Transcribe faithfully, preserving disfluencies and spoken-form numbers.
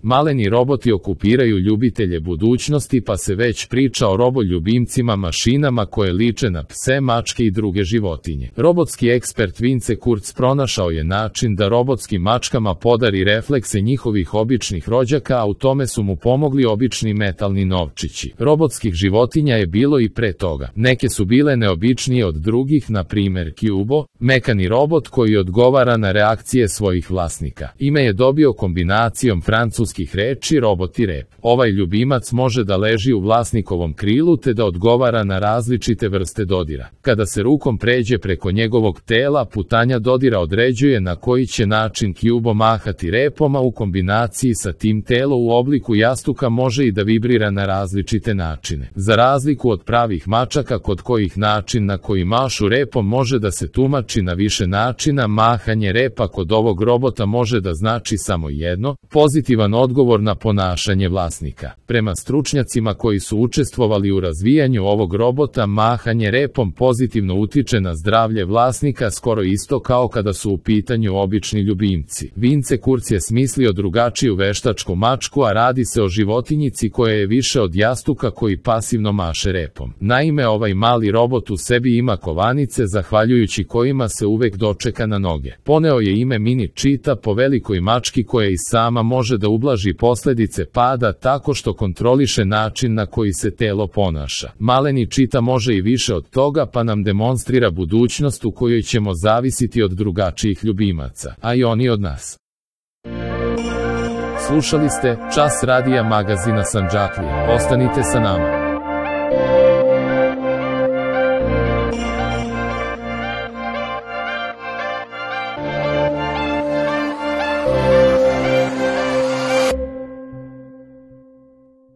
Maleni roboti okupiraju ljubitelje budućnosti, pa se već priča o roboljubimcima, mašinama koje liče na pse, mačke i druge životinje. Robotski ekspert Vince Kurz pronašao je način da robotskim mačkama podari reflekse njihovih običnih rođaka, a u tome su mu pomogli obični metalni novčići. Robotskih životinja je bilo i pre toga. Neke su bile neobičnije od drugih, na primer Cubo, mekani robot koji odgovara na reakcije svojih vlasnika. Ime je dobio kombinacijom francuskih reči robot i rep. Ovaj ljubimac može da leži u vlasnikovom krilu te da odgovara na različite vrste dodira. Kada se rukom pređe preko njegovog tela, putanja dodira određuje na koji će način Cubo mahati repom, a u kombinaciji sa tim telo u obliku jastuka može i da vibrira na različite načine. Za razliku od pravih mačaka kod kojih način na koji mašu repom može da se tumači na više načina, mahanje repa kod ovog robota može da znači samo jedno, pozitivan odgovor na ponašanje vlasnika. Prema stručnjacima koji su učestvovali u razvijanju ovog robota, mahanje repom pozitivno utiče na zdravlje vlasnika, skoro isto kao kada su u pitanju obični ljubimci. Vince Kurz je smislio drugačiju veštačku mačku, a radi se o životinjici koja je više od jastuka koji pasivno maše repom. Naime, ovaj mali robot u sebi ima kovanice zahvaljujući kojima se uvek dočeka na noge. Poneo je ime Mini Cheetah po velikoj mački koja i sama može da ublaži posledice pada tako što kontroliše način na koji se telo ponaša. Maleni Cheetah može i više od toga, pa nam demonstrira budućnost u kojoj ćemo zavisiti od drugačijih ljubimaca, a i oni od nas. Slušali ste Čas radija magazina Sandžaklije. Ostanite sa nama.